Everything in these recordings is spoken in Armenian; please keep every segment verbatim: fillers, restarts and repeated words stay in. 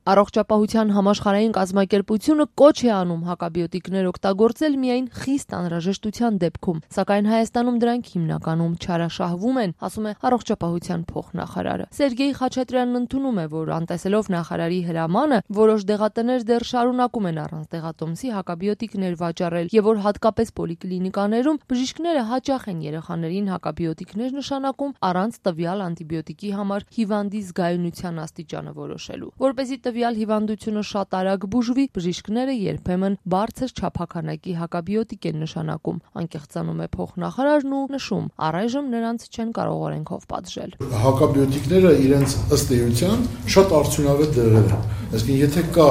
Առողջապահության համաշխարհային կազմակերպությունը կոչ է անում հակաբիոտիկներ օգտագործել միայն խիստ անհրաժեշտության դեպքում, սակայն Հայաստանում դրանք հիմնականում չարաշահվում են, ասում է առողջապահության փոխնախարարը։ Սերգեյ Խաչատրյանն ընդունում է, որ անտեսելով նախարարի հրամանը, որոշ դեղատներ դեռ շարունակում են առանց դեղատոմսի հակաբիոտիկներ վաճառել, եւ որ հատկապես պոլիկլինիկաներում բժիշկները հաճախ են երեխաներին հակաբիոտիկներ նշանակում առանց տվյալ անտիբիոտիկի համար հիվանդի զգայունության աստիճանը որոշելու։ Որպեսզի տվյալ հիվանդությունը շատ արագ բուժվի, բժիշկները երբեմն բարձր չափականակի հակաբիոտիկ են նշանակում, անկեղծանում է փոխնախարարն ու նշում, առայժմ նրանց չեն կարող օրենքով պատժել։ Հակաբիոտիկները իրենց ըստ էության շատ արդյունավետ դեղեր են։ Այսինքն եթե կա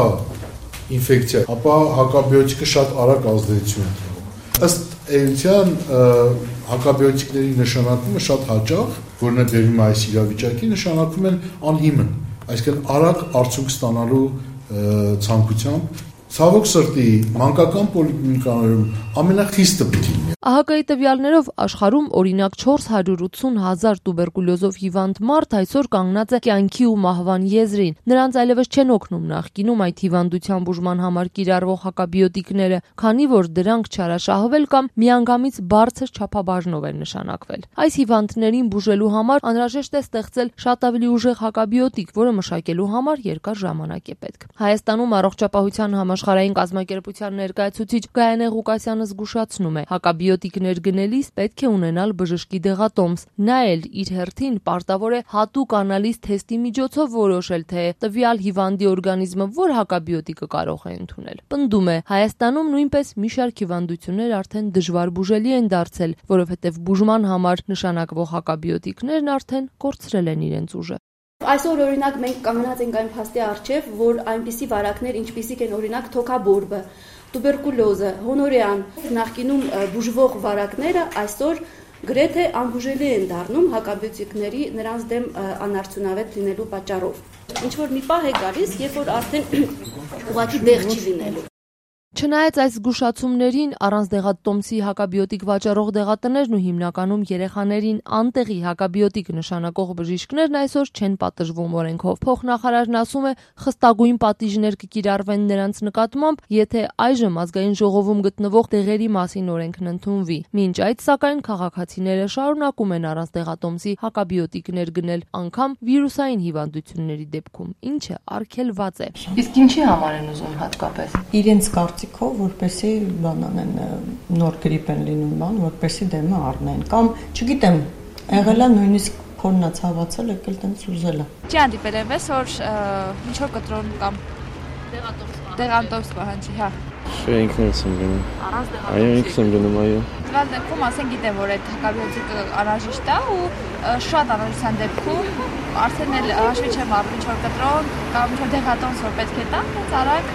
ինֆեկցիա, ապա հակաբիոտիկը շատ արագ ազդեցություն է տալու։ Ըստ էության հակաբիոտիկների նշանակումը շատ հաճախ, որն է բերում այս իրավիճակի, նշանակում են անհիմն, այսինքն արագ արդյունք ստանալու ցանկությամբ։ Ցավոք սրտի, մանկական պոլիկլինիկաներում ամենախիստը պիտի լինի։ ԱՀԿ-ի տվյալներով աշխարհում օրինակ չորս հարյուր ութսուն հազար տուբերկուլյոզով հիվանդ մարդ այսօր կանգնած է կյանքի ու մահվան եզրին։ Նրանց այլևս չեն օգնում նախկինում այդ հիվանդության բուժման համար կիրառվող հակաբիոտիկները, քանի որ դրանք չարաշահվել կամ միանգամից բարձր չափաբաժնով են նշանակվել։ Այս հիվանդներին բուժելու համար անհրաժեշտ է ստեղծել շատ ավելի ուժեղ հակաբիոտիկ, որը մշակելու համար երկար ժամանակ է պետք։ Հայաստանում առողջապահության համաշխարհային կազմակերպության ներկայացուցիչ Գայանե Ղուկասյանը զգուշացնում է, հակաբիոտիկներ գնելիս պետք է ունենալ բժշկի դեղատոմս։ Նա էլ իր հերթին պարտավոր է հատուկ անալիզ թեստի միջոցով որոշել, թե տվյալ հիվանդի օրգանիզմը որ հակաբիոտիկը կարող է ընդունել։ Պնդում է, Հայաստանում նույնպես մի շարք հիվանդություններ արդեն դժվար բուժելի են դարձել, որովհետև բուժման համար նշանակվող հակաբիոտիկներն արդեն կորցրել են իրենց ուժը։ Այսօր օրինակ մենք կանգնած ենք այն փաստի առջև, որ այնպիսի վարակներ, ինչպիսիք են օրինակ թոքաբորբը, տուբերկուլոզը, հոնորեան, նախկինում բուժվող վարակները այսօր գրեթե անբուժելի են դառնում հակաբիոտիկների նրանց դեմ անարդյունավետ լինելու պատճառով։ Ինչ որ մի պահ է գալիս, երբ որ արդեն ուղղակի դեղ չի լինելու։ Չնայած այս զգուշացումներին, առանց դեղատոմսի հակաբիոտիկ վաճառող դեղատներն ու հիմնականում երեխաներին անտեղի հակաբիոտիկ նշանակող բժիշկներն այսօր չեն պատժվում օրենքով։ Փոխնախարարն ասում է, խստագույն պատիժներ կկիրառվեն նրանց նկատմամբ, եթե այժմ ազգային ժողովում գտնվող դեղերի մասին օրենքն ընդունվի։ Մինչ այդ, սակայն, քաղաքացիները շարունակում են առանց դեղատոմսի հակաբիոտիկներ գնել, անգամ վիրուսային հիվանդությունների դեպքում, ինչը արգելված է։ Իսկ ինչի համար են ուզում հատկապես։ Իրենց կարծիքով, որպեսի բանան են նոր գրիպ են լինում բան, որպեսի դեմը առնեն կամ չգիտեմ, եղել է նույնիսկ փորնա ցավացել, եկել տենց ուզել է։ Չի հանդիպել այնպես, որ ինչ որ կտրոն կամ դեղատոմս պահանջի, հա։ Չէ, ինքներս եմ գնում։ Առանց դեղատոմսի։ Այո, ինքս եմ գնում, այո։ Դրանց դեպքում ասեն գիտեմ, որ այդ հակաբիոտիկը անհրաժեշտ է ու շատ անհրաժեշտության դեպքում արդեն էլ հաշվի չեմ առնում ինչ որ կտրոն կամ ինչ որ դեղատոմս որ պետք է տա, հենց արագ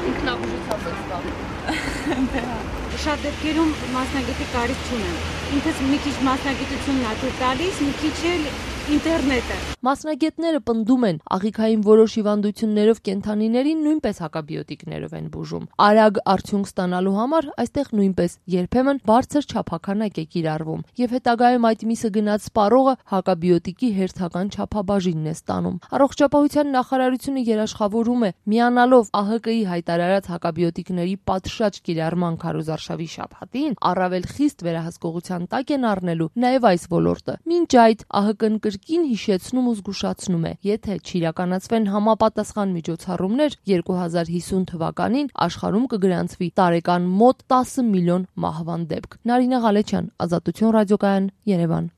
ինքնաբուժությամբ է ստանում։ Շատ դեպքերում մասնագետի կարիք չունեն։ Ինքս մի քիչ մասնագիտությունն ա տալիս, մի քիչ էլ ինտերնետը։ Մասնագետները պնդում են, աղիքային որոշ հիվանդություններով կենդանիներին նույնպես հակաբիոտիկներով են բուժում։ Արագ արդյունք ստանալու համար այստեղ նույնպես երբեմն բարձր չափականակ է կիրառվում, եւ հետագայում այդ միսը գնած սպառողը հակաբիոտիկի հերթական չափաբաժինն է ստանում։ Առողջապահության նախարարությունը երաշխավորում է, միանալով ԱՀԿ-ի հայտարարած հակաբիոտիկների պատշաճ կիրառման քարոզարշավի շաբաթին, առավել խիստ վերահսկողության տակ են առնելու նաեւ այս ոլորտը։ Մինչ այդ ԱՀԿ-ն կրկին հիշեցնում ու զգուշացնում է, եթե չիրականացվեն համապատասխան միջոցառումներ, երկու հազար հիսուն թվականին աշխարհում կգրանցվի տարեկան մոտ տասը միլիոն մահվան դեպք։ Նարինե Ղալեչյան, Ազատություն ռադիոկայան, Երևան։